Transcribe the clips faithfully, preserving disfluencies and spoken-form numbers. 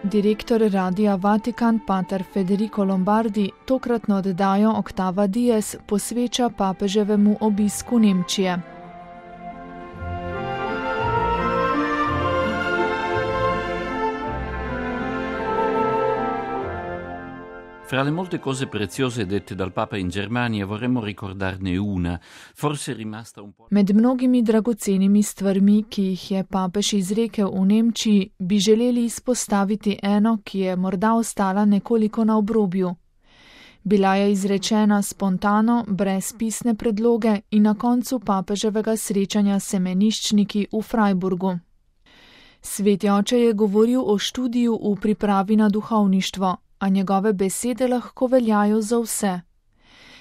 Direktor Radia Vatikan pater Federico Lombardi tokratno oddajo Octava Dies posveča papeževemu obisku Nemčije. Fra le molte cose preziose dette dal Papa in Germania vorremmo ricordarne una, forse rimasta un po'. Med mnogimi dragocenimi stvarmi, ki jih je papež izrekel v Nemčiji, bi želeli izpostaviti eno, ki je morda ostala nekoliko na obrobju. Bila je izrečena spontano, brez pisne predloge in na koncu papeževega srečanja s semeniščniki v Freiburgu. Sveti oče je govoril o študiju v pripravi na duhovništvo, a njegove besede lahko veljajo za vse.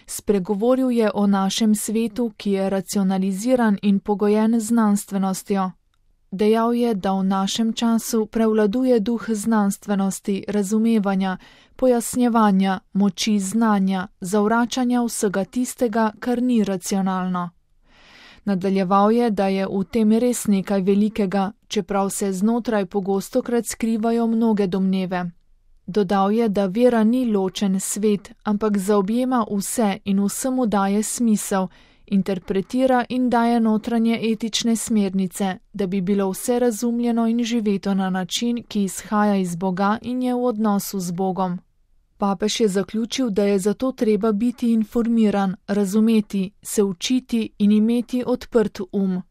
Spregovoril je o našem svetu, ki je racionaliziran in pogojen z znanstvenostjo. Dejal je, da v našem času prevladuje duh znanstvenosti, razumevanja, pojasnjevanja, moči znanja, zavračanja vsega tistega, kar ni racionalno. Nadaljeval je, da je v tem res nekaj velikega, čeprav se znotraj pogostokrat skrivajo mnoge domneve. Dodal je, da vera ni ločen svet, ampak zaobjema vse in vsemu daje smisel, interpretira in daje notranje etične smernice, da bi bilo vse razumljeno in živeto na način, ki izhaja iz Boga in je v odnosu z Bogom. Papež je zaključil, da je zato treba biti informiran, razumeti, se učiti in imeti odprt um.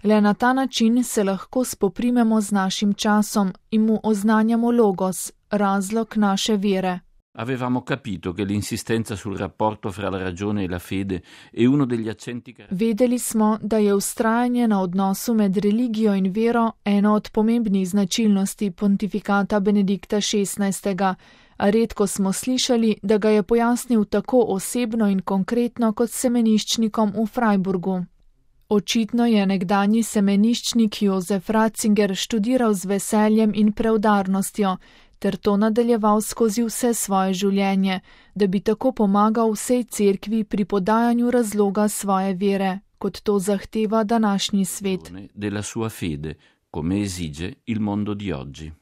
Le na ta način se lahko spoprimemo z našim časom in mu oznanjamo logos, razlog naše vere. Avevamo capito che l'insistenza sul rapporto fra la ragione e la fede è uno degli accenti che... Vedeli smo, da je vztrajanje na odnosu med religijo in vero eno od pomembnih značilnosti pontifikata Benedikta šestnajstega, a redko smo slišali, da ga je pojasnil tako osebno in konkretno kot semeniščnikom v Freiburgu. Očitno je nekdanji semeniščnik Jozef Ratzinger študiral z veseljem in preudarnostjo, ter to nadaljeval skozi vse svoje življenje, da bi tako pomagal vsej cerkvi pri podajanju razloga svoje vere, kot to zahteva današnji svet. Della sua fede, come esige il mondo di oggi.